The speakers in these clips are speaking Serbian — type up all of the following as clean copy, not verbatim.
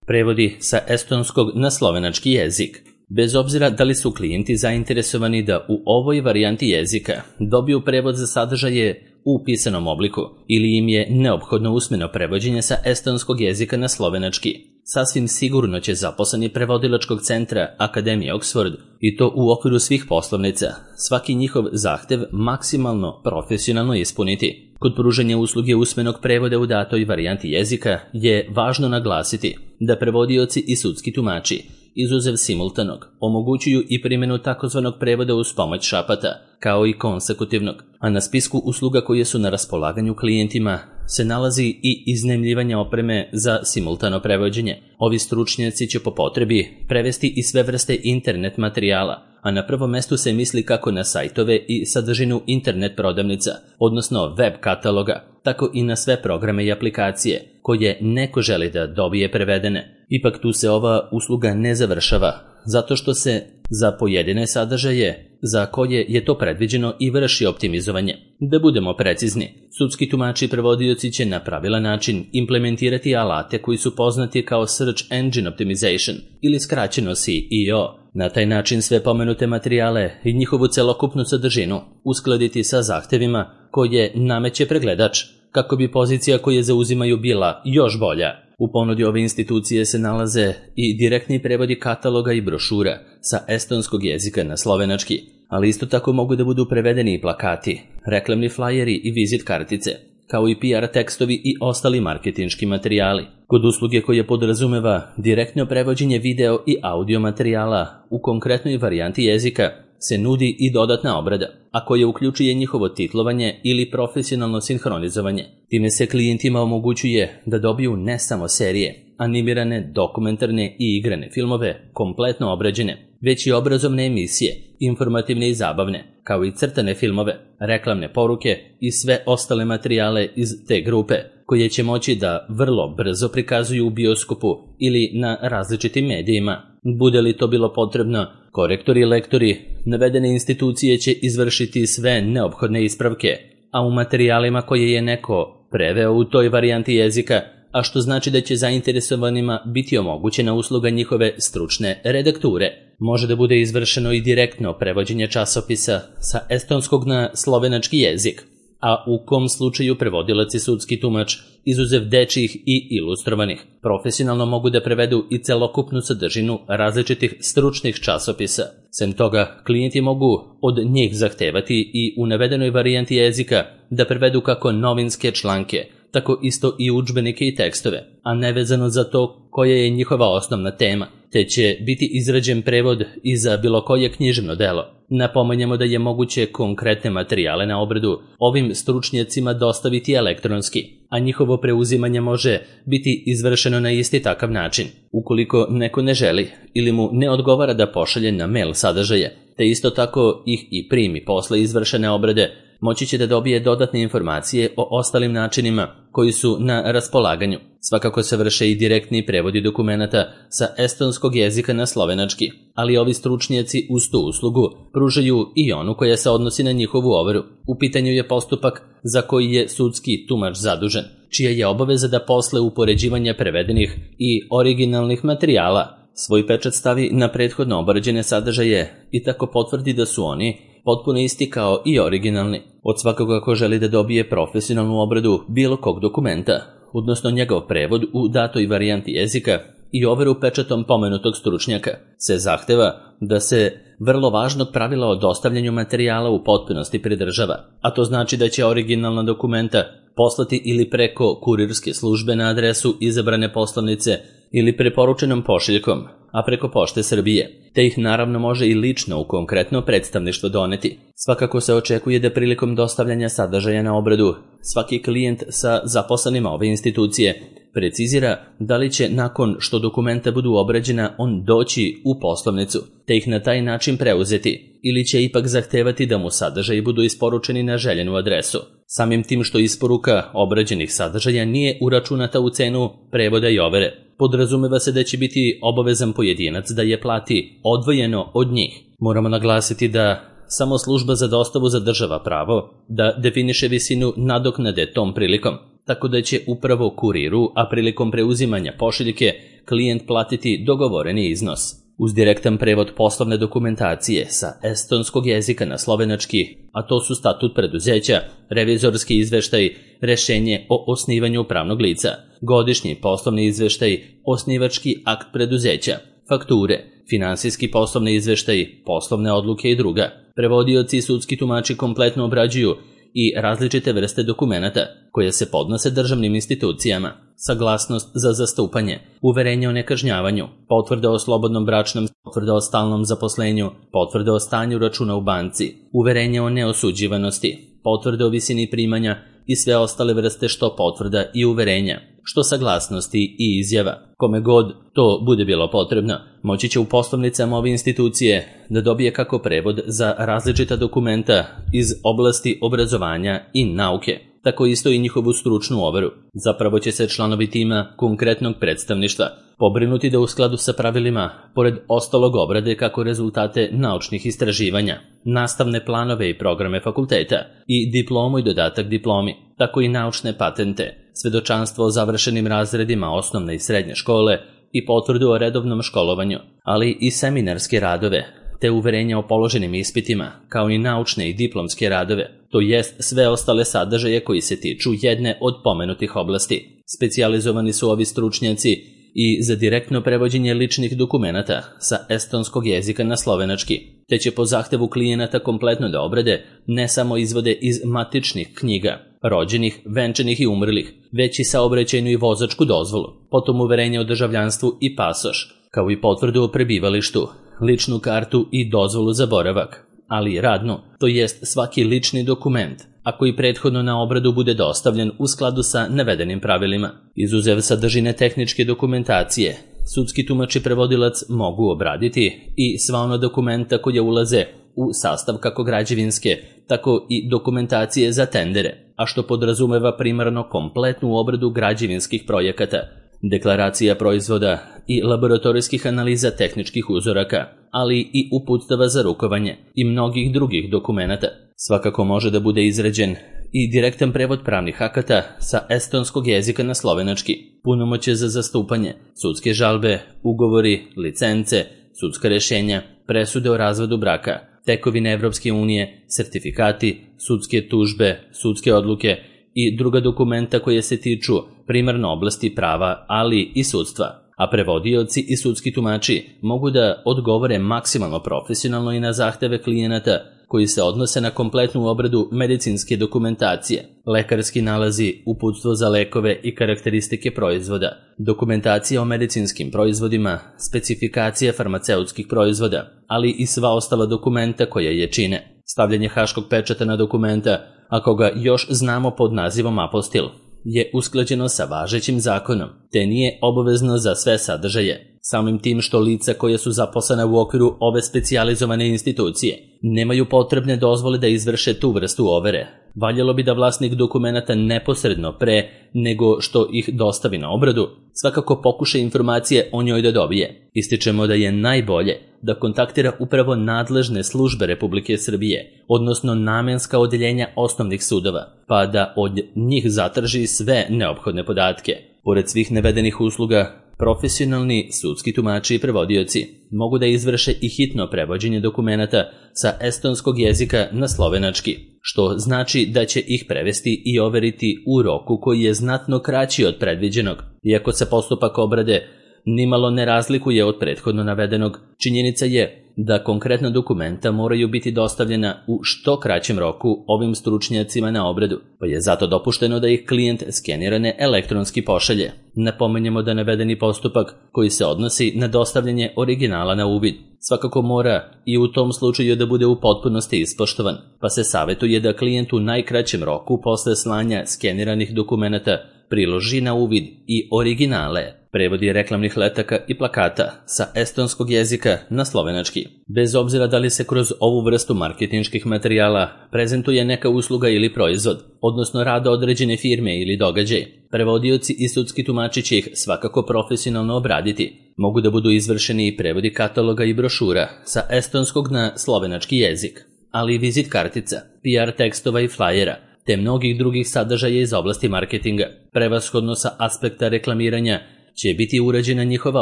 Prevodi sa estonskog na slovenački jezik. Bez obzira da li su klijenti zainteresovani da u ovoj varijanti jezika dobiju prevod za sadržaje u pisanom obliku ili im je neophodno usmeno prevođenje sa estonskog jezika na slovenački, sasvim sigurno će zaposleni prevodilačkog centra Akademije Oxford, i to u okviru svih poslovnica, svaki njihov zahtev maksimalno profesionalno ispuniti. Kod pružanja usluge usmenog prevoda u datoj varijanti jezika je važno naglasiti da prevodioci i sudski tumači, izuzev simultanog, omogućuju i primjenu takozvanog prevoda uz pomoć šapata, kao i konsekutivnog, a na spisku usluga koje su na raspolaganju klijentima se nalazi i iznajmljivanje opreme za simultano prevođenje. Ovi stručnjaci će po potrebi prevesti i sve vrste internet materijala, a na prvom mestu se misli kako na sajtove i sadržinu internet prodavnica, odnosno web kataloga, tako i na sve programe i aplikacije koje neko želi da dobije prevedene. Ipak tu se ova usluga ne završava, zato što se za pojedine sadržaje za koje je to predviđeno i vrši optimizovanje. Da budemo precizni, sudski tumači i prevodioci će na pravilan način implementirati alate koji su poznati kao Search Engine Optimization ili skraćeno SEO. Na taj način sve pomenute materijale i njihovu celokupnu sadržinu uskladiti sa zahtevima koje nameće pregledač, kako bi pozicija koje zauzimaju bila još bolja. U ponudi ove institucije se nalaze i direktni prevodi kataloga i brošura sa estonskog jezika na slovenački, ali isto tako mogu da budu prevedeni i plakati, reklamni flajeri i vizit kartice, kao i PR tekstovi i ostali marketinški materijali. Kod usluge koje podrazumeva direktno prevođenje video i audio materijala u konkretnoj varijanti jezika se nudi i dodatna obrada, a koja uključuje njihovo titlovanje ili profesionalno sinhronizovanje. Time se klijentima omogućuje da dobiju ne samo serije, animirane, dokumentarne i igrane filmove kompletno obrađene, već i obrazovne emisije, informativne i zabavne, kao i crtane filmove, reklamne poruke i sve ostale materijale iz te grupe, koje će moći da vrlo brzo prikazuju u bioskopu ili na različitim medijima. Bude li to bilo potrebno, korektori i lektori navedene institucije će izvršiti sve neophodne ispravke, a u materijalima koje je neko preveo u toj varijanti jezika, a što znači da će zainteresovanima biti omogućena usluga njihove stručne redakture. Može da bude izvršeno i direktno prevođenje časopisa sa estonskog na slovenački jezik, a u kom slučaju prevodilac i sudski tumač, izuzev dečjih i ilustrovanih, profesionalno mogu da prevedu i celokupnu sadržinu različitih stručnih časopisa. Sem toga, klijenti mogu od njih zahtevati i u navedenoj varijanti jezika da prevedu kako novinske članke, tako isto i udžbenike i tekstove, a nevezano za to koja je njihova osnovna tema, te će biti izrađen prevod i za bilo koje književno delo. Napominjemo da je moguće konkretne materijale na obradu ovim stručnjacima dostaviti elektronski, a njihovo preuzimanje može biti izvršeno na isti takav način. Ukoliko neko ne želi ili mu ne odgovara da pošalje na mail sadržaje, te isto tako ih i primi posle izvršene obrade, moći će da dobije dodatne informacije o ostalim načinima koji su na raspolaganju. Svakako se vrše i direktni prevodi dokumenata sa estonskog jezika na slovenački, ali ovi stručnjaci uz tu uslugu pružaju i onu koja se odnosi na njihovu overu. U pitanju je postupak za koji je sudski tumač zadužen, čija je obaveza da posle upoređivanja prevedenih i originalnih materijala svoj pečat stavi na prethodno obrađene sadržaje i tako potvrdi da su oni potpuno isti kao i originalni. Od svakoga ko želi da dobije profesionalnu obradu bilo kog dokumenta, odnosno njegov prevod u datoj varijanti jezika i overu pečatom pomenutog stručnjaka, se zahteva da se vrlo važnog pravila o dostavljanju materijala u potpunosti pridržava, a to znači da će originalna dokumenta poslati ili preko kurirske službe na adresu izabrane poslovnice ili preporučenom pošiljkom, a preko Pošte Srbije, te ih naravno može i lično u konkretno predstavništvo doneti. Svakako se očekuje da prilikom dostavljanja sadržaja na obradu svaki klijent sa zaposlenima ove institucije precizira da li će nakon što dokumenta budu obrađena on doći u poslovnicu, te ih na taj način preuzeti, ili će ipak zahtevati da mu sadržaji budu isporučeni na željenu adresu. Samim tim što isporuka obrađenih sadržaja nije uračunata u cenu prevoda i overe, podrazumeva se da će biti obavezan pojedinac da je plati odvojeno od njih. Moramo naglasiti da samo služba za dostavu zadržava pravo da definiše visinu nadoknade tom prilikom, tako da će upravo kuriru, a prilikom preuzimanja pošiljke, klijent platiti dogovoreni iznos. Uz direktan prevod poslovne dokumentacije sa estonskog jezika na slovenački, a to su statut preduzeća, revizorski izveštaj, rešenje o osnivanju pravnog lica, godišnji poslovni izveštaj, osnivački akt preduzeća, fakture, finansijski poslovni izveštaj, poslovne odluke i druga. Prevodioci i sudski tumači kompletno obrađuju i različite vrste dokumenata koje se podnose državnim institucijama, saglasnost za zastupanje, uverenje o nekažnjavanju, potvrda o slobodnom bračnom, potvrda o stalnom zaposlenju, potvrda o stanju računa u banci, uverenje o neosuđivanosti, potvrda o visini primanja i sve ostale vrste što potvrda i uverenja, što saglasnosti i izjava. Kome god to bude bilo potrebno, moći će u poslovnicama ove institucije da dobije kako prevod za različita dokumenta iz oblasti obrazovanja i nauke, tako isto i njihovu stručnu overu. Zapravo će se članovi tima konkretnog predstavništva pobrinuti da u skladu sa pravilima, pored ostalog obrade kako rezultate naučnih istraživanja, nastavne planove i programe fakulteta i diplomu i dodatak diplomi, tako i naučne patente, svedočanstvo o završenim razredima osnovne i srednje škole i potvrdu o redovnom školovanju, ali i seminarske radove, te uverenja o položenim ispitima, kao i naučne i diplomske radove, to jest sve ostale sadržaje koji se tiču jedne od pomenutih oblasti. Specijalizovani su ovi stručnjaci i za direktno prevođenje ličnih dokumenata sa estonskog jezika na slovenački, te će po zahtevu klijenata kompletno da obrade ne samo izvode iz matičnih knjiga, rođenih, venčanih i umrlih, već i saobraćajnu i vozačku dozvolu, potom uverenje o državljanstvu i pasoš, kao i potvrdu o prebivalištu, ličnu kartu i dozvolu za boravak, ali i radnu, to jest svaki lični dokument, a koji prethodno na obradu bude dostavljen u skladu sa navedenim pravilima. Izuzev sadržine tehničke dokumentacije, sudski tumač i prevodilac mogu obraditi i sva ona dokumenta koja ulaze u sastav kako građevinske, tako i dokumentacije za tendere, a što podrazumeva primarno kompletnu obradu građevinskih projekata, deklaracija proizvoda i laboratorijskih analiza tehničkih uzoraka, ali i uputstava za rukovanje i mnogih drugih dokumenata. Svakako može da bude izrađen i direktan prevod pravnih akata sa estonskog jezika na slovenački, punomoćje za zastupanje, sudske žalbe, ugovori, licence, sudska rešenja, presude o razvodu braka, tekovine Evropske unije, sertifikati, sudske tužbe, sudske odluke i druga dokumenta koje se tiču primarno oblasti prava, ali i sudstva. A prevodioci i sudski tumači mogu da odgovore maksimalno profesionalno i na zahteve klijenata koji se odnose na kompletnu obradu medicinske dokumentacije, lekarski nalazi, uputstvo za lekove i karakteristike proizvoda, dokumentacija o medicinskim proizvodima, specifikacija farmaceutskih proizvoda, ali i sva ostala dokumenta koja je čine. Stavljanje haškog pečata na dokumenta, ako ga još znamo pod nazivom apostil, je usklađeno sa važećim zakonom, te nije obavezno za sve sadržaje. Samim tim što lica koje su zaposlena u okviru ove specijalizovane institucije nemaju potrebne dozvole da izvrše tu vrstu overe. Valjalo bi da vlasnik dokumenata neposredno pre nego što ih dostavi na obradu, svakako pokuša informacije o njoj da dobije. Ističemo da je najbolje da kontaktira upravo nadležne službe Republike Srbije, odnosno namenska odeljenja osnovnih sudova, pa da od njih zatraži sve neophodne podatke. Pored svih navedenih usluga, profesionalni sudski tumači i prevodioci mogu da izvrše i hitno prevođenje dokumenata sa estonskog jezika na slovenački, što znači da će ih prevesti i overiti u roku koji je znatno kraći od predviđenog. Iako se postupak obrade nimalo ne razlikuje od prethodno navedenog, činjenica je da konkretna dokumenta moraju biti dostavljena u što kraćem roku ovim stručnjacima na obradu, pa je zato dopušteno da ih klijent skenirane elektronski pošalje. Napomenjemo da navedeni postupak koji se odnosi na dostavljanje originala na uvid svakako mora i u tom slučaju da bude u potpunosti ispoštovan, pa se savjetuje da klijent u najkraćem roku posle slanja skeniranih dokumenata priloži na uvid i originale, prevodi reklamnih letaka i plakata sa estonskog jezika na slovenački. Bez obzira da li se kroz ovu vrstu marketinških materijala prezentuje neka usluga ili proizvod, odnosno rada određene firme ili događaj, prevodioci i sudski tumači će ih svakako profesionalno obraditi. Mogu da budu izvršeni i prevodi kataloga i brošura sa estonskog na slovenački jezik, ali i vizit kartica, PR tekstova i flajera, te mnogih drugih sadržaja iz oblasti marketinga, prevashodno sa aspekta reklamiranja će biti urađena njihova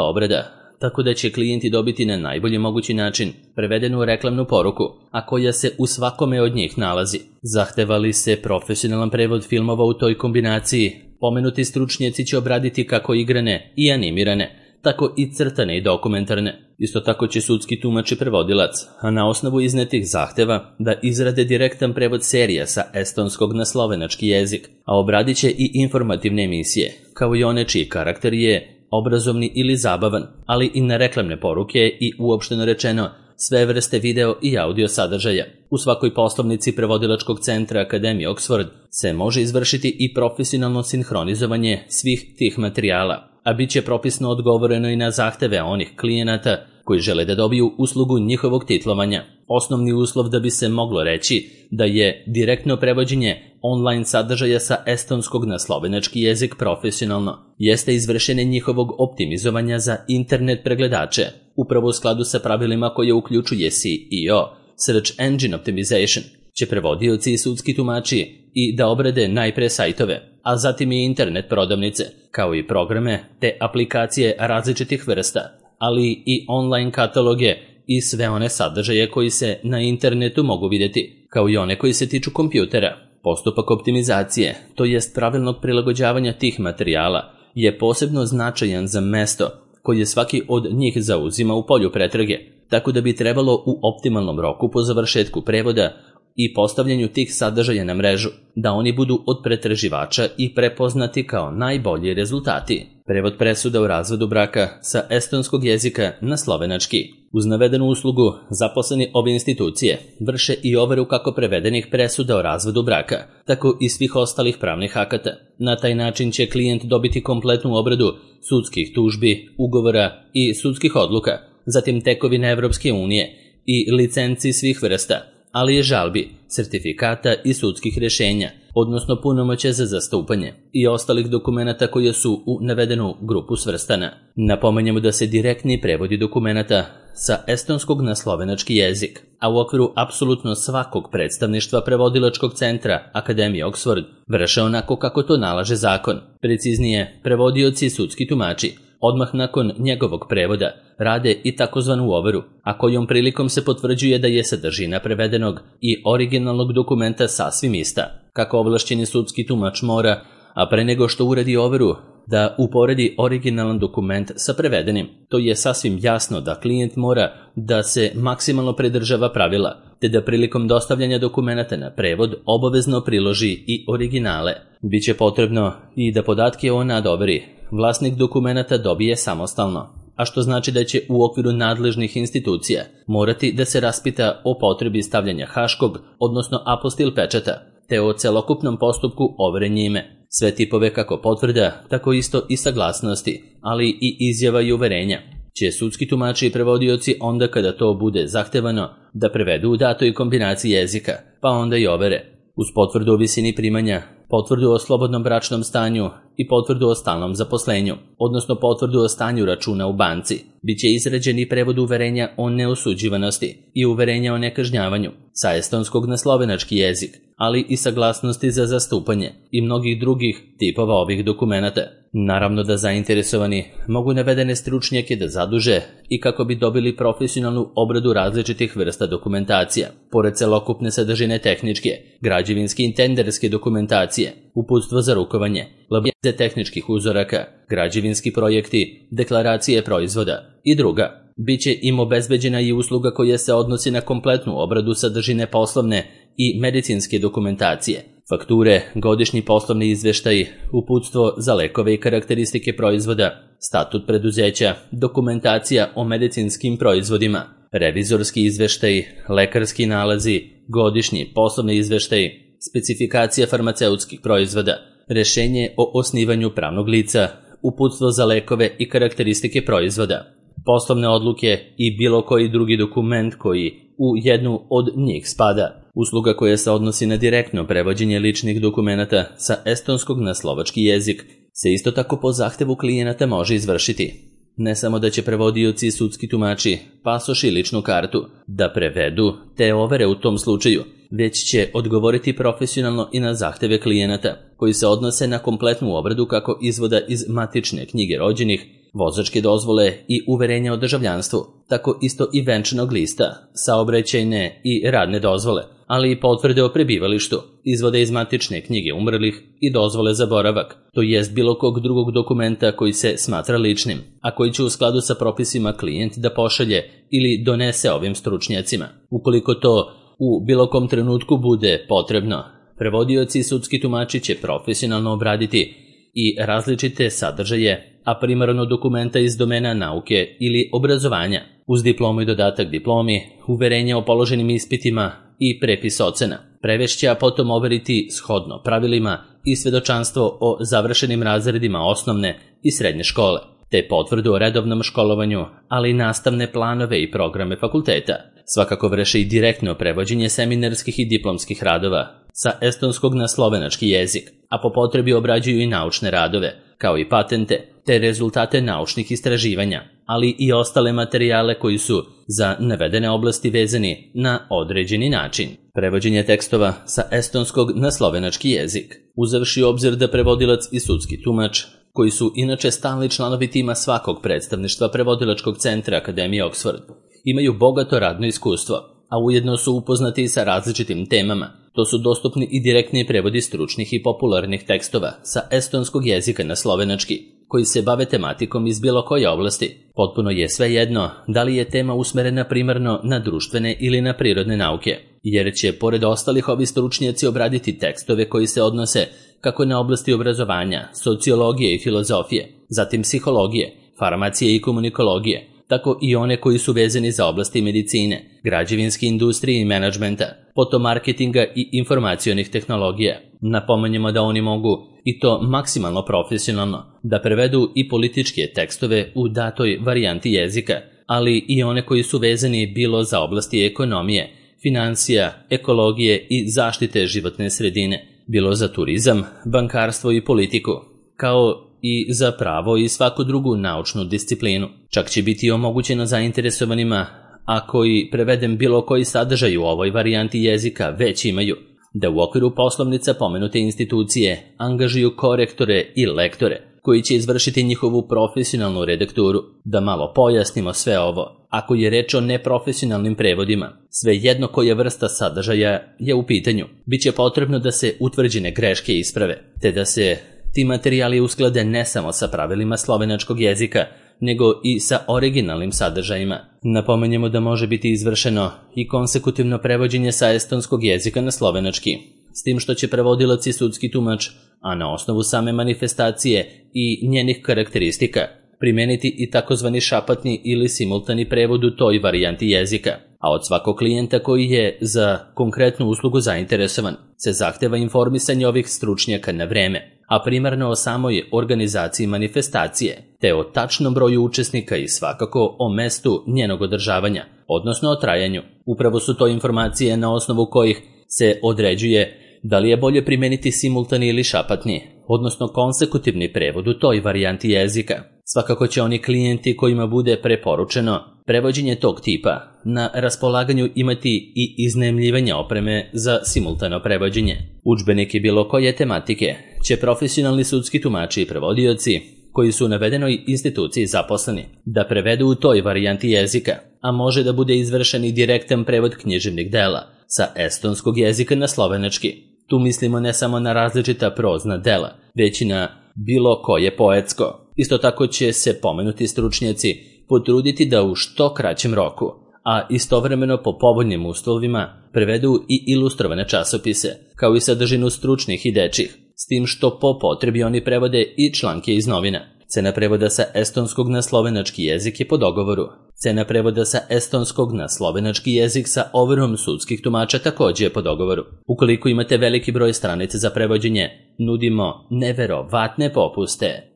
obrada, tako da će klijenti dobiti na najbolji mogući način prevedenu reklamnu poruku, a koja se u svakome od njih nalazi. Zahteva li se profesionalan prevod filmova u toj kombinaciji, pomenuti stručnjaci će obraditi kako igrane i animirane, tako i crtane i dokumentarne. Isto tako će sudski tumač i prevodilac, a na osnovu iznetih zahteva, da izrade direktan prevod serija sa estonskog na slovenački jezik, a obradit će i informativne emisije, kao i one čiji karakter je obrazovni ili zabavan, ali i na reklamne poruke i uopšteno rečeno sve vrste video i audio sadržaja. U svakoj poslovnici prevodilačkog centra Akademije Oxford se može izvršiti i profesionalno sinhronizovanje svih tih materijala, a bit će propisno odgovoreno i na zahteve onih klijenata koji žele da dobiju uslugu njihovog titlovanja. Osnovni uslov da bi se moglo reći da je direktno prevođenje online sadržaja sa estonskog na slovenački jezik profesionalno, jeste izvršenje njihovog optimizovanja za internet pregledače, upravo u skladu sa pravilima koje uključuje SEO, Search Engine Optimization, će prevodioci i sudski tumači i da obrade najpre sajtove, a zatim i internet prodavnice, kao i programe te aplikacije različitih vrsta, ali i online kataloge i sve one sadržaje koji se na internetu mogu vidjeti, kao i one koji se tiču kompjutera. Postupak optimizacije, to jest pravilnog prilagođavanja tih materijala, je posebno značajan za mesto koje svaki od njih zauzima u polju pretrage, tako da bi trebalo u optimalnom roku po završetku prevoda i postavljanju tih sadržaja na mrežu, da oni budu od pretraživača i prepoznati kao najbolji rezultati. Prevod presuda o razvodu braka sa estonskog jezika na slovenački. Uz navedenu uslugu, zaposleni ove institucije vrše i overu kako prevedenih presuda o razvodu braka, tako i svih ostalih pravnih akata. Na taj način će klijent dobiti kompletnu obradu sudskih tužbi, ugovora i sudskih odluka, zatim tekovine Evropske unije i licenci svih vrsta, ali i žalbi, sertifikata i sudskih rješenja, odnosno punomoćja za zastupanje i ostalih dokumenata koje su u navedenu grupu svrstana. Napomenjamo da se direktni prevodi dokumenata sa estonskog na slovenački jezik, a u okviru apsolutno svakog predstavništva prevodilačkog centra Akademije Oxford vrše onako kako to nalaže zakon. Preciznije, prevodioci i sudski tumači odmah nakon njegovog prevoda rade i takozvanu overu, a kojom prilikom se potvrđuje da je sadržina prevedenog i originalnog dokumenta sasvim ista. Kako ovlašćeni sudski tumač mora, a pre nego što uradi overu, da uporedi originalan dokument sa prevedenim. To je sasvim jasno da klijent mora da se maksimalno pridržava pravila, te da prilikom dostavljanja dokumenata na prevod obavezno priloži i originale. Biće potrebno i da podatke o nadoveri vlasnik dokumenata dobije samostalno, a što znači da će u okviru nadležnih institucija morati da se raspita o potrebi stavljanja haškog, odnosno apostil pečata, te o celokupnom postupku overe njime. Sve tipove kako potvrda, tako isto i saglasnosti, ali i izjava i uverenja će sudski tumači i prevodioci onda kada to bude zahtevano da prevedu u datoj kombinaciji jezika, pa onda i overe, uz potvrdu o visini primanja, potvrdu o slobodnom bračnom stanju i potvrdu o stalnom zaposlenju, odnosno potvrdu o stanju računa u banci. Biće izrađen i prevod uverenja o neosuđivanosti i uverenja o nekažnjavanju sa estonskog na slovenački jezik, ali i saglasnosti za zastupanje i mnogih drugih tipova ovih dokumenata. Naravno da zainteresovani mogu navedene stručnjake da zaduže i kako bi dobili profesionalnu obradu različitih vrsta dokumentacija, pored celokupne sadržine tehničke, građevinske i tenderske dokumentacije, uputstvo za rukovanje, laboratorije tehničkih uzoraka, građevinski projekti, deklaracije proizvoda i druga. Biće im obezbeđena i usluga koja se odnosi na kompletnu obradu sadržine poslovne i medicinske dokumentacije, fakture, godišnji poslovni izveštaj, uputstvo za lekove i karakteristike proizvoda, statut preduzeća, dokumentacija o medicinskim proizvodima, revizorski izveštaj, lekarski nalazi, godišnji poslovni izveštaj, specifikacija farmaceutskih proizvoda, rješenje o osnivanju pravnog lica, uputstvo za lekove i karakteristike proizvoda, poslovne odluke i bilo koji drugi dokument koji u jednu od njih spada. Usluga koja se odnosi na direktno prevođenje ličnih dokumenata sa estonskog na slovački jezik se isto tako po zahtevu klijenata može izvršiti. Ne samo da će prevodioci i sudski tumači pasoš i ličnu kartu da prevedu te overe u tom slučaju, već će odgovoriti profesionalno i na zahteve klijenata. koji se odnose na kompletnu obradu kako izvoda iz matične knjige rođenih, vozačke dozvole i uverenja o državljanstvu, tako isto i venčanog lista, saobraćajne i radne dozvole, ali i potvrde o prebivalištu, izvode iz matične knjige umrlih i dozvole za boravak, to jest bilo kog drugog dokumenta koji se smatra ličnim, a koji će u skladu sa propisima klijent da pošalje ili donese ovim stručnjacima. Ukoliko to u bilo kom trenutku bude potrebno, prevodioci i sudski tumači će profesionalno obraditi i različite sadržaje, a primarno dokumenta iz domena nauke ili obrazovanja, uz diplomu i dodatak diplomi, uverenje o položenim ispitima i prepis ocena. Prevešće, a potom overiti shodno pravilima i svedočanstvo o završenim razredima osnovne i srednje škole, te potvrdu o redovnom školovanju, ali i nastavne planove i programe fakulteta. Svakako vrše i direktno prevođenje seminarskih i diplomskih radova sa estonskog na slovenački jezik, a po potrebi obrađuju i naučne radove, kao i patente, te rezultate naučnih istraživanja, ali i ostale materijale koji su za navedene oblasti vezani na određeni način. Prevođenje tekstova sa estonskog na slovenački jezik, uzevši u obzir da prevodilac i sudski tumač, koji su inače stalni članovi tima svakog predstavništva prevodilačkog centra Akademije Oxford, imaju bogato radno iskustvo, a ujedno su upoznati i sa različitim temama. To su dostupni i direktni prevodi stručnih i popularnih tekstova sa estonskog jezika na slovenački, koji se bave tematikom iz bilo koje oblasti. Potpuno je svejedno da li je tema usmerena primarno na društvene ili na prirodne nauke, jer će pored ostalih ovi stručnjaci obraditi tekstove koji se odnose kako na oblasti obrazovanja, sociologije i filozofije, zatim psihologije, farmacije i komunikologije, tako i one koji su vezani za oblasti medicine, građevinske industrije i menadžmenta, potom marketinga i informacionih tehnologija. Napomenjemo da oni mogu, i to maksimalno profesionalno, da prevedu i političke tekstove u datoj varijanti jezika, ali i one koji su vezani bilo za oblasti ekonomije, financija, ekologije i zaštite životne sredine, bilo za turizam, bankarstvo i politiku, kao i za pravo i svaku drugu naučnu disciplinu. Čak će biti omogućeno zainteresovanima, a koji preveden bilo koji sadržaj u ovoj varijanti jezika već imaju, da u okviru poslovnica pomenute institucije angažuju korektore i lektore, koji će izvršiti njihovu profesionalnu redakturu. Da malo pojasnimo sve ovo. Ako je reč o neprofesionalnim prevodima, svejedno koja vrsta sadržaja je u pitanju, bit će potrebno da se utvrđene greške isprave, te da se ti materijali usklade ne samo sa pravilima slovenačkog jezika, nego i sa originalnim sadržajima. Napomenjemo da može biti izvršeno i konsekutivno prevođenje sa estonskog jezika na slovenački, s tim što će prevodilac i sudski tumač, a na osnovu same manifestacije i njenih karakteristika, primeniti i takozvani šapatni ili simultani prevod u toj varijanti jezika, a od svakog klijenta koji je za konkretnu uslugu zainteresovan se zahteva informisanje ovih stručnjaka na vreme, a primarno o samoj organizaciji manifestacije, te o tačnom broju učesnika i svakako o mestu njenog održavanja, odnosno o trajanju. Upravo su to informacije na osnovu kojih se određuje da li je bolje primeniti simultani ili šapatni, odnosno konsekutivni prevod u toj varijanti jezika. Svakako će oni klijenti kojima bude preporučeno prevođenje tog tipa na raspolaganju imati i iznajmljivanje opreme za simultano prevođenje. Udžbenike bilo koje tematike će profesionalni sudski tumači i prevodioci koji su u navedenoj instituciji zaposleni da prevedu u toj varijanti jezika, a može da bude izvršen i direktan prevod književnih dela sa estonskog jezika na slovenački. Tu mislimo ne samo na različita prozna dela, već i na bilo koje poetsko. Isto tako će se pomenuti stručnjaci potruditi da u što kraćem roku, a istovremeno po povoljnim uslovima, prevedu i ilustrovane časopise, kao i sadržinu stručnih i dečjih, s tim što po potrebi oni prevode i članke iz novina. Cena prevoda sa estonskog na slovenački jezik je po dogovoru. Cena prevoda sa estonskog na slovenački jezik sa overom sudskih tumača također je po dogovoru. Ukoliko imate veliki broj stranica za prevođenje, nudimo neverovatne popuste.